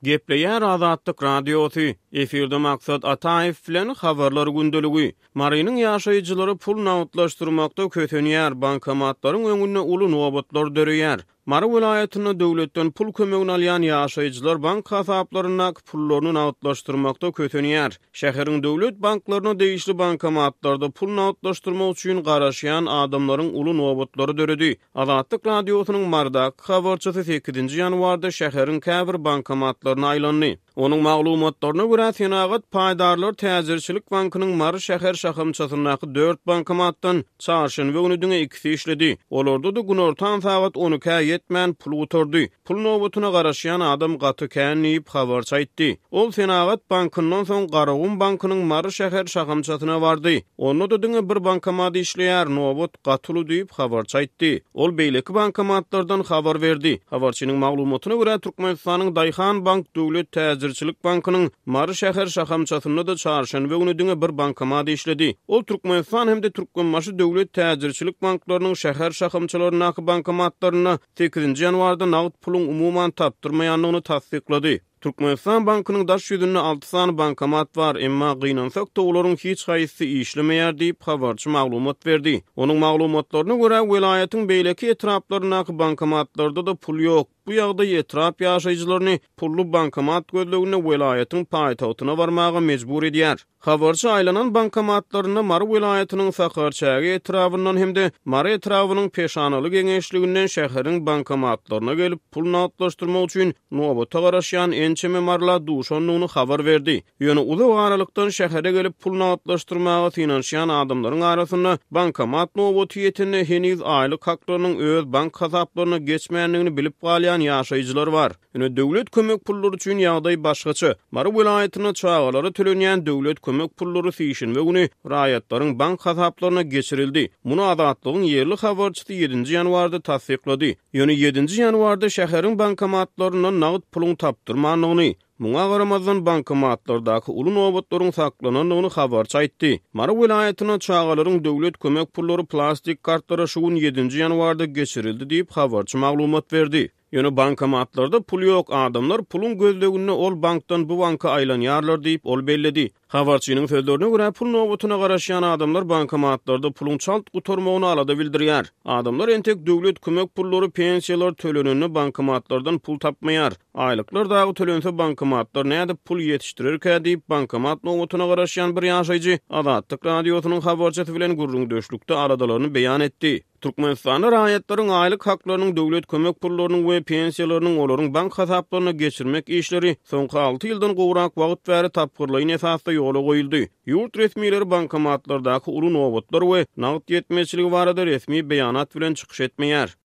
Gepleýär Azatlyk Radiosy, Efirde Maksat Ataýew bilen Habarlar gündeligi. Marynyň ýaşaýjylary pul nagtlaşdyrmakda kösenýär, bankomatlaryň öňünde uly nobatlar döreýär. Mary welaýatynda döwletden pul kömegini alýan ýaşaýjylar bank hasaplaryndaky pullaryny nagtlaşdyrmakda kösenýär. Şäheriň döwlet banklaryna degişli bankomatlarda pul nagtlaşdyrmak üçin garaşýan adamlaryň uly nobatlary döredi. Azatlyk Radiosynyň Marydaky habarçysy sekizinji ýanwarda şäheriň käbir bankomatlaryna aýlandy. Onuň maglumatlaryna görä, Senagat paýdarlar täjirçilik bankynyň Mary şäher şahamçasyndaky dört bankomatdan çarşenbe güni diňe ikisi işledi. Olarda-da günortan sagat on ikä ýetmän pul gutardy. Pul nobatyna garaşýan adam gaty kän diýip, habarçy aýtdy. Ol Senagat bankyndan soň Garagum bankynyň Mary şäher şahamçasyna bardy. Onda-da diňe bir bankomat işleýär, nobat gaty uly diýip, habarçy aýtdy. Ol beýleki bankomatlardan habar berdi. Habarçynyň maglumatyna görä, Türkmenistanyň Daýhan bank döwlet täjirçilik bankynyň Mary şäher şahamçasynda-da çarşenbe güni diňe bir bankomat işledi. Ol Türkmenistan hem-de Türkmenbaşy döwlet täjirçilik banklarynyň şäher şahamçalaryndaky bankomatlarynda sekizinji ýanwarda nagt puluň umuman tapdyrmaýandygyny tassyklady. Türkmenistan bankynyň daş ýüzünde alty sany bankomat bar, emma gynansak-da olaryň hiç haýsysy işlemeýär diýip, habarçy maglumat berdi. Onuň maglumatlaryna görä, welaýatyň beýleki etraplaryndaky bankomatlarda-da pul ýok. Bu ýagdaý etrap ýaşaýjylaryny pully bankomat gözleginde welaýatyň paýtagtyna barmaga mejbur edýär. Habarçy aýlanan bankomatlarynda Mary welaýatynyň Sakarçäge etrabyndan hem-de Mary etrabynyň Peşanaly geňeşliginden şäheriň bankomatlaryna gelip, pul nagtlaşdyrmak üçin nobata garaşýan ençeme maryla duşandygyny habar berdi. Ýöne uzak aralykdan şähere gelip pul nagtlaşdyrmaga synanyşýan adamlaryň arasynda bankomat nobaty ýetende heniz aýlyk haklarynyň öz bank hasaplaryna geçmändigini bilip galýan ýaşaýjylar bar. Ýöne döwlet kömek pullary üçin ýagdaý başgaça. Mary welaýatynda çagalara tölenýän döwlet kömek pullary sişenbe güni raýatlaryň bank hasaplaryna geçirildi. Muny Azatlygyň ýerli habarçysy ýedinji ýanwarda tassyklady. Ýöne ýedinji ýanwarda şäheriň bankomatlaryndan nagt puluň tapdyrmandygyny, muňa garamazdan bankomatlardaky uly nobatlaryň saklanandygyny habarçy aýtdy. Mary welaýatynda çagalaryň döwlet kömek pullary plastik kartlara şu gün ýedinji ýanwarda geçirildi diýip, habarçy maglumat berdi. Ýöne bankomatlarda pul ýok, adamlar puluň gözleginde ol bankdan bu banka aýlanýarlar diýip, ol belledi. Habarçynyň sözlerine görä, pul nobatyna garaşýan adamlar bankomatlarda puluň çalt gutarmagyna alada bildirýär. Adamlar entek döwlet kömek pullary, pensiýalar tölenende bankomatlardan pul tapmaýar. Aýlyklar dagy tölense bankomatlar nädip pul ýetişdirerkä diýip, bankomat nobatyna garaşýan bir ýaşaýjy Azatlyk Radiosynyň habarçysy bilen gürrüňdeşlikde aladalaryny beýan etdi. Türkmenistanda raýatlaryň aýlyk haklarynyň, döwlet kömek pullarynyň we pensiýalarynyň olaryň bank hasaplaryna geçirmek işleri soňky alty ýyldan gowrak wagt bäri tapgyrlaýyn esasda ýola goýuldy. Ýurt resmileri bankomatlardaky uly nobatlar we nagt ýetmezçiligi barada resmi beýanat bilen çykyş etmeýär.